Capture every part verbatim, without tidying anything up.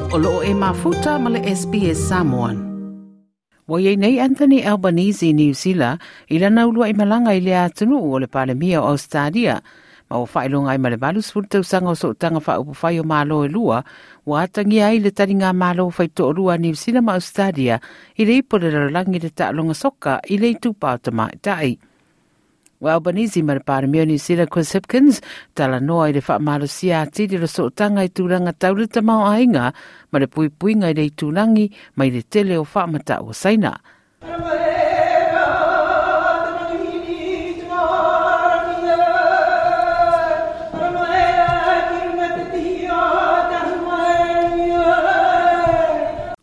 O loo e mafuta ma le S B S Samoan. Ua iai nei Anthony Albanese New Zealand i lana uluai malaga i le atunuu o le Palemia o Australia ma ua faailoga ai ma le valu sefulu tausaga o sootaga faaupufai o malo e lua ua atagia ai le taliga malo faitoalua a Niu Sila ma Australia i le ipu o le lalolagi le taaloga soka i le itupa o tamaitai. Ua Albanese ma le Palemia o New Zealand Chris Hipkins talanoa i le faamalosia atili o le sootaga i tulaga tau le tamaoaiga ma le puipuiga i le itulagi mai le tele o faamatau o Saina.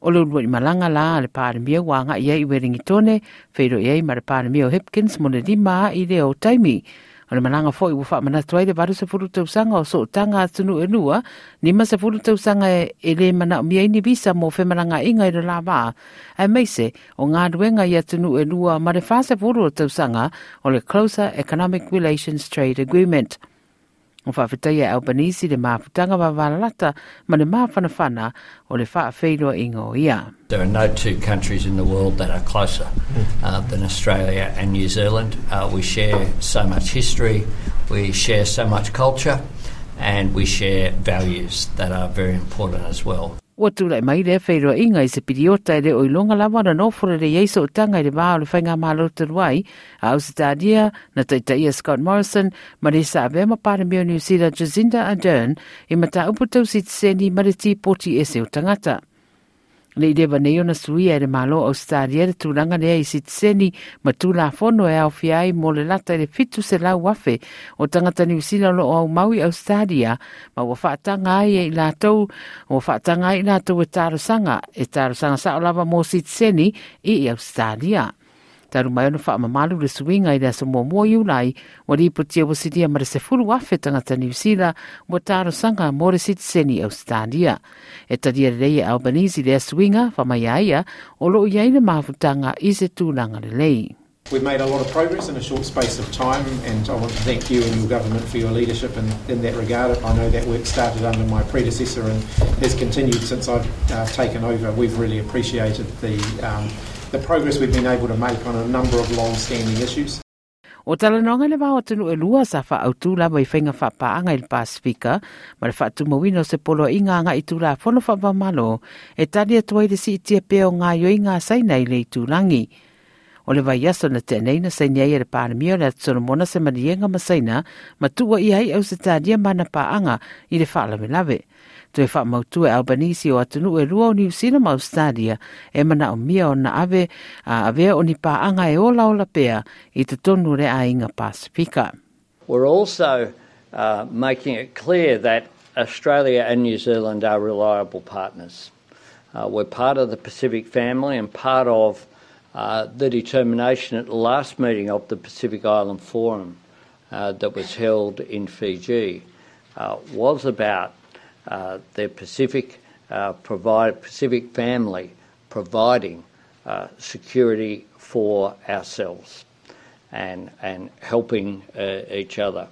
O le uluai malaga la a le Palemia ua agai ai i Ueligitone, feiloai ai ma le Palemia o Hipkins mo le lima i le o taimi. O le malaga foi ua faamanatu ai le valu sefulu tausaga o sootaga atunuu e lua, lima sefulu tausaga e le manaomia ai ni visa mo femalagaaiga i le la vaa, aemaise o galuega i atunuu e lua ma le fa sefulu o tausaga o le Closer Economic Relations Trade Agreement. O faafetaia e Albanese le mafutaga vavalalata ma le mafanafana o le faafeiloaiga o ia. There are no two countries in the world that are closer uh, than Australia and New Zealand. Uh, we share so much history, we share so much culture, and we share values that are very important as well. Ua tulai mai lea feiloaiga i se piliota e le o iloga lava ona nofo lelei ai sootaga i le va o le faigamalo talu ai a Ausetalia na taitaia Scott Morrison ma le sa avea ma Palemia o New Zealand Jacinda Ardern i mataupu tau sitiseni ma le tipoti ese o tagata. Le i leva nei ona suia e le Malo Australia le tulaga lea i sitiseni ma tulafono e aofia ai mo le lata i le fitu selau afe o tagata Niu Sila o loo aumau i Australia ma ua faataga ai e i latou ua faataga ai i latou e talosaga e talosaga sao lava mo sitiseni i Australia. Talu mai ona faamamalu le suiga i le aso muamua Iulai, ua lipotia ua silia ma le sefulu afe tagata Niu Sila ua talosaga mo le sitiseni Australia. E talia lelei e Albanese lea suiga, faamai a ia o loo i ai le mafutaga i se tulaga lelei. We've made a lot of progress in a short space of time, and I want to thank you and your government for your leadership in, in that regard. I know that work started under my predecessor and has continued since I've uh, taken over. We've really appreciated the, um, the progress we've been able to make on a number of long-standing issues. O talanoaga le va o atunuu e lua sa faaautu lava i faiga faapaaga i le Pasifika ma le faatumauina o se poloaiga agai tulafono faava-o-Malo e tali atu ai le siitia pea o gaoioiga a Saina i le itulagi. O le vaiaso na tea nei na saini ai e le Palemia o le Atu Solomona se maliega ma Saina ma tuuaia ai Ausetalia ma ana paaga i le faalavelave. Toe faamautu e Albanese o atunuu e lua o Niu Sila ma Australia e manaomia ona ave a avea o ni paaga e olaola pea i totonu o le aiga Pasifika. We're also uh, making it clear that Australia and New Zealand are reliable partners. Uh, we're part of the Pacific family and part of uh, the determination at the last meeting of the Pacific Island Forum uh, that was held in Fiji uh, was about uh, the Pacific, uh, provide, Pacific family providing uh, security for ourselves and, and helping uh, each other.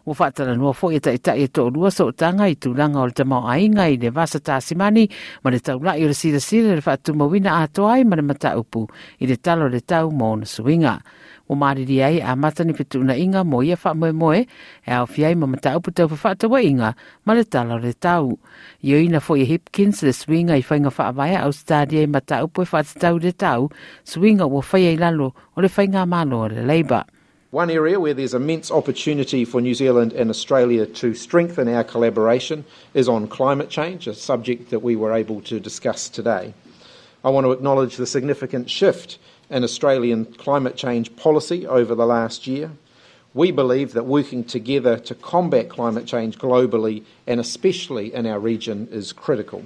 Ua faatalanoa foi e taitai e toalua sootaga i tulaga o le tamaoaiga i le Vasa Tasimani ma le taulai o le silasila le faatumauina atoa ai ma le mataupu i le tala o le tau ma ona suiga. Ua malilie ai e amata ni fetuunaiga mo ia faamoemoe e aofia ai ma mataupu tau fefaatauaiga ma le tala o le tau. Ioeina foi e Hipkins le suiga i faiga faavae a Australia i mataupu e faatatau i le tau, suiga ua faia i lalo o le faigamalo a le Labour. One area where there's immense opportunity for New Zealand and Australia to strengthen our collaboration is on climate change, a subject that we were able to discuss today. I want to acknowledge the significant shift in Australian climate change policy over the last year. We believe that working together to combat climate change globally and especially in our region is critical.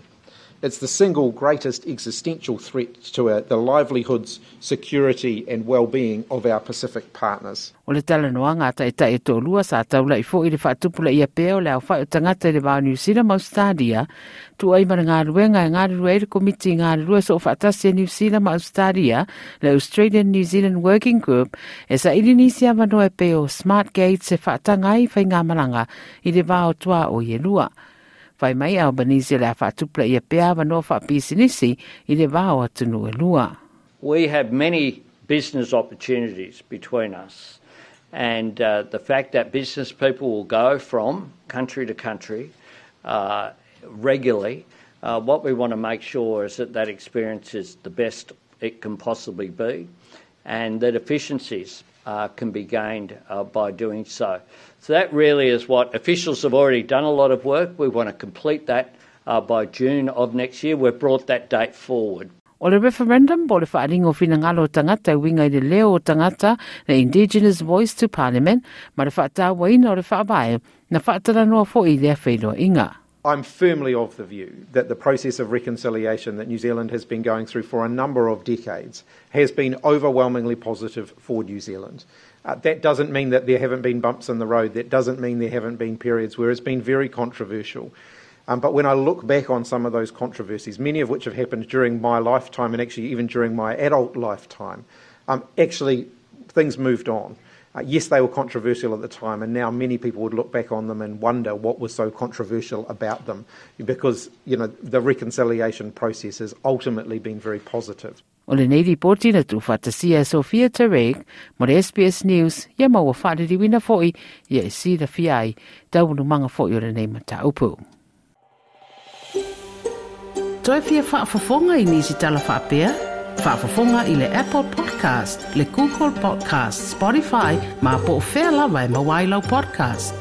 It's the single greatest existential threat to our, the livelihoods, security and well-being of our Pacific partners. O le talanoaga a taitai e toalua sa taulai foi i le faatupulaia pea o le aofai o tagata i le va o Niu Sila ma Australia, tuua ai ma le galuega e galulue ai le komiti galulue soofaatasi a Niu Sila ma Australia, le Australian New Zealand Working Group, e saili nisi avanoa e pei o Smart Gates e faataga ai faigamalaga i le va o tuaoi e lua. Fai mai Albanese o le a faatupulaia pea avanoa faapisinisi i le va o atunuu e lua. We have many business opportunities between us, and uh, the fact that business people will go from country to country uh, regularly, uh, what we want to make sure is that that experience is the best it can possibly be, and that efficiencies uh, can be gained uh, by doing so. So that really is what officials have already done a lot of work. We want to complete that uh, by June of next year. We've brought that date forward. O le referendum po o le faaaliga o finagalo o tagata e uiga i le leo o tagata, le Indigenous Voice to Parliament, ma le faatauaina o le faavae na faatalanoa foi i lea feiloaiga. I'm firmly of the view that the process of reconciliation that New Zealand has been going through for a number of decades has been overwhelmingly positive for New Zealand. Uh, that doesn't mean that there haven't been bumps in the road. That doesn't mean there haven't been periods where it's been very controversial. Um, but when I look back on some of those controversies, many of which have happened during my lifetime and actually even during my adult lifetime, um, actually things moved on. Uh, yes, they were controversial at the time, and now many people would look back on them and wonder what was so controversial about them, because you know the reconciliation process has ultimately been very positive. O lenei lipoti na tuufaatasia e Sophia Tarek mo le S B S News, ia ma ua faaliliuina foi ia e silafia ai taualumaga foi o lenei mataupu. Toe fia faafofoga i nisi tala faapea? Faafofoga i le Apple Podcast, le Google Podcast, Spotify, ma po o fea lava e maua ai lau podcast.